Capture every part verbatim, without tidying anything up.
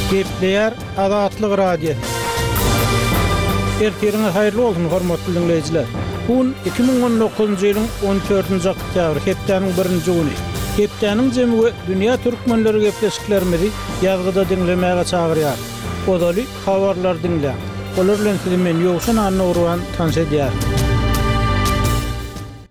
Gepleýär Azatlyk Radiosy. Ertiriňiz haýyrly bolsun, hormatly diňleýjiler. Bu gün iki müň on dokuzynjy ýylyň on dördünji oktýabry, hepdäniň birinji güni. Hepdäniň jemi we dünýä türkmenleri gepleşiklerimizi ýazgyda diňlemäge çagyrýar. Ozaly habarlar diňläň. Olar bilen sizi men Ýowşan Annagurban tanyş edýärin.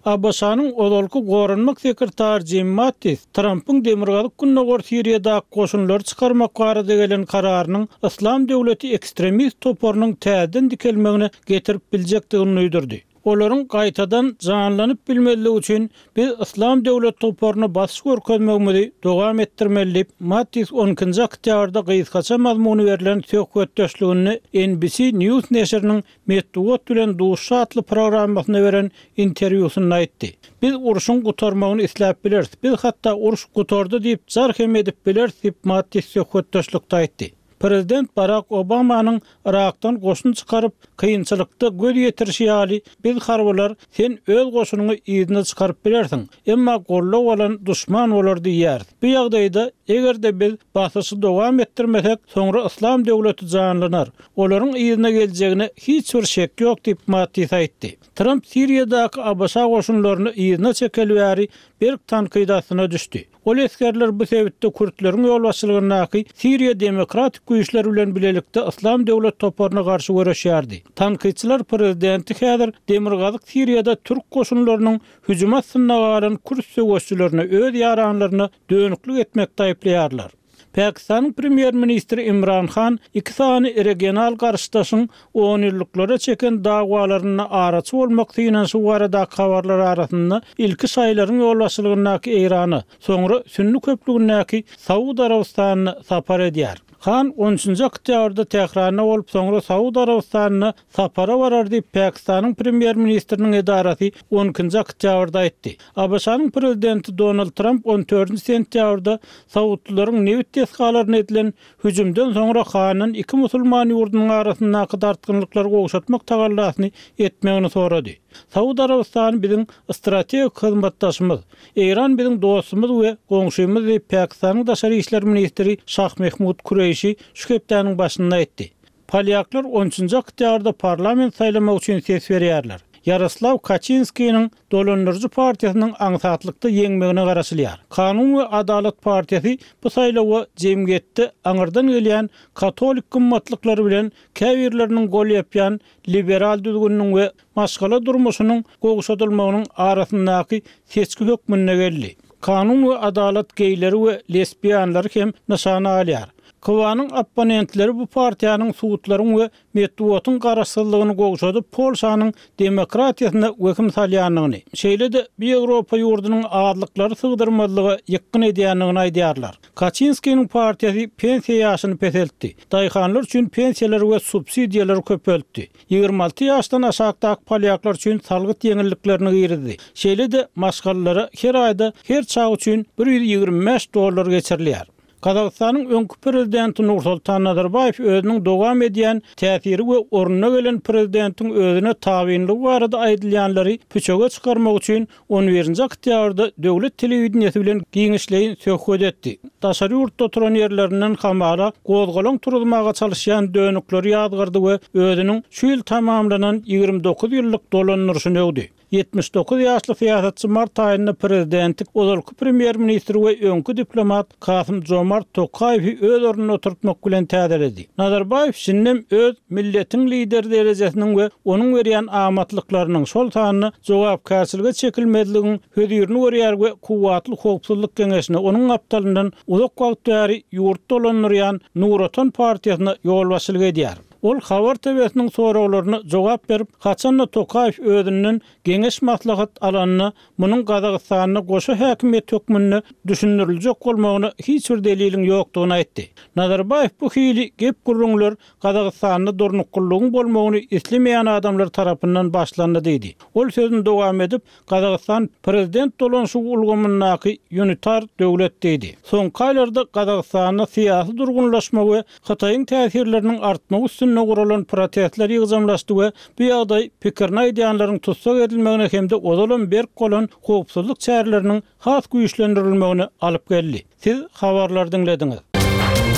A B Ş-nyň ozalky goranmak sekretary Jim Mattis Trumpyň Demirgazyk Gündogar Siriýada goşunlary çykarmak barada gelen kararynyň Yslam döwleti ekstremist toparynyň täzeden dikelmegine getirip biljekdigini duýdurdy. Olaryň gaýtadan janlanyp bilmezligi üçin biz Yslam döwlet toparyna basyş görkezmegimizi dowam etdirmeli diýip, Mattis on ikinji oktýabrda gysgaça mazmuny berlen söhbetdeşliginde N B C News neşiriniň Metbugat bilen duşy atly programmasyna beren interwýusynda aýtdy. Biz urşuň gutarmagyny isläp bileris. Biz hatda uruş gutardy diýip jar hem edip bileris diýip Mattis söhbetdeşlikde aýtdy. Prezident Barack Obamanyň Irakdan goşun çykaryp, kynçylykda göz ýetirişi ýaly biz harbylar sen öz goşunyňy yzyna çykaryp bilersiň. Emma gollag bolan duşman bolar diýýär. Bu ýagdaýda eger-de biz basyşy dowam etdirmesek, soňra Yslam döwleti janlanar. Olaryň yzyna geljegine hiç bir şek ýok diýip Mattis aýtdy. Trump Siriýadaky A B Ş goşunlaryny yzyna çekeli bäri berk tankyt astyna düşdi. Ol esgerler bu sebitde Kürtleriň ýolbaşçylygyndaky Siriýa Demokratik güýçleri bilen bilelikde Yslam döwlet toparyna garşy göreşýärdi. Tankytçylar prezidenti häzir Demirgazyk Siriýada türk goşunlarynyň hüjüm astynda galan Kürt söweşçilerine öz ýaranlaryna dönüklük etmekde aýyplaýarlar. Pakistanyň premýer-ministri Imran Han iki sany regional garşydaşyň on ýyllyklara çeken dawalaryna araçy bolmak synanyşygy baradaky habarlar arasynda ilki şaýlaryň ýolbaşçylygyndaky Eýrana, soňra Sünni köplügindäki Saud Arabystanyna sapar edýär. Han on üçünji oktýabrda Tähranda bolup, soňra Saud Arabystanyna sapara barar diýip Pakistanyň premýer-ministriniň edarasy on ikinji oktýabrda aýtdy. A B Ş-nyň prezidenti Donald Trump on dördünji sentýabrda Saudlylaryň nebit desgalaryna edilen hüjümden soňra Handan iki musulman ýurdunyň arasyndaky dartgynlyklary gowşatmak tagallasyny etmegini sorady. Saud Arabystany biziň strategik hyzmatdaşymyz, Eýran biziň dostumyz we goňşymyz diýip Pakistanyň daşary işler ministri Şah Mehmud Kureýşi şu hepdäniň başynda aýtdy. Polýaklar on üçünji oktýabrda parlament saýlamak üçin ses berýärler. Ýaroslaw Kaçinskiniň dolandyryjy partiýasynyň aňsatlykda ýeňmegine garaşylýar. Kanun we Adalat partiýasy bu saýlawa jemgyýetde aňyrdan gelýän katolik gymmatlyklary bilen käbirleriniň gol ýapýan liberal düzgüniniň we maşgala durmuşynyň gowşadylmagynyň arasyndaky seçgi hökmünde geldi. Kanun we Adalat geýleri we lesbiýanlary hem nyşana alýar. Kowanyň opponentleri bu partiýanyň sudlaryň we metbugatyň garaşsyzlygyny gowşadyp Polşanyň demokratiýasyna wehim salýandygyny, şeýle-de bu Ýewropa ýurdunyň azlyklary sygdyrmazlyga ýykgyn edýändigini aýdýarlar. Kaçinskiniň partiýasy pensiýa ýaşyny peseltdi. Daýhanlar üçin pensiýalary we subsidiýalary köpeltdi. Ýigrimi alty ýaşdan aşakdaky polýaklar üçin salgyt ýeňilliklerini girizdi. Şeýle-de maşgalalara her aýda her çaý üçin bir ýüz ýigrimi bäş dollar geçirilýär. Gazagystanyň öňki prezidenti Nursultan Nazarbaýew özüniň dowam edýän täsiri we ornuna gelen prezidentiň özüne tabynlygy barada aýdylýanlary püçege çykarmak üçin on birinji oktýabrda döwlet telewideniýesi bilen giňişleýin söhbet etdi. Daşary ýurtda oturan ýerlerinden hamala gozgalaň turuzmaga çalışýan dönükleri ýazgardy we özüniň şu ýyl tamamlanan ýigrimi dokuz ýyllyk dolandyryşyny öwdi. Ýetmiş dokuz ýaşly syýasatçy mart aýynda prezidentlik ozalky premýer-ministr we öňki diplomat Kasym Jomart Tokaýewi öz ornuna oturtmak bilen täzeledi. Nazarbaýew şindem öz milletiň lideri derejesiniň we onuň berýän amatlyklarynyň şol sanda jogapkärçilige çekilmezligiň hözirini görýär we kuwwatly howpsuzlyk geňeşine onuň gapdalyndan uzak wagt bäri ýurt dolandyrýan Nur Otan partiýasyna ýolbaşçylyk edýär. Ol habar T V-siniň soraglaryna jogap berip, haçanda Tokaýew özünden geňeş maslahat alanyna munuň Gazagystanda goşa häkimiýet hökmünde düşündiriljek bolmagyna hiç bir deliliň ýokdugyny aýtdy. Nazarbaýew bu hili gep gürrüňler Gazagystanda durnuklylygyň bolmagyny islemeýän adamlar tarapyndan başlandy diýdi. Ol sözüni dowam edip, Gazagystan prezident dolanşygy ulgamyndaky unitar döwlet diýdi. Soňky aýlarda Gazagystanda syýasy durgunlaşma we Hytaýyň täsirleriniň artmagy üstünde guralan protestler ýygjamlaşdy we bu ýagdaý pikirini aýdýanlaryň tutsak edilmegine hem-de ozalam berk bolan howpsuzlyk çäreleriniň has güýçlendirilmegine alyp geldi. Siz habarlar diňlediňiz.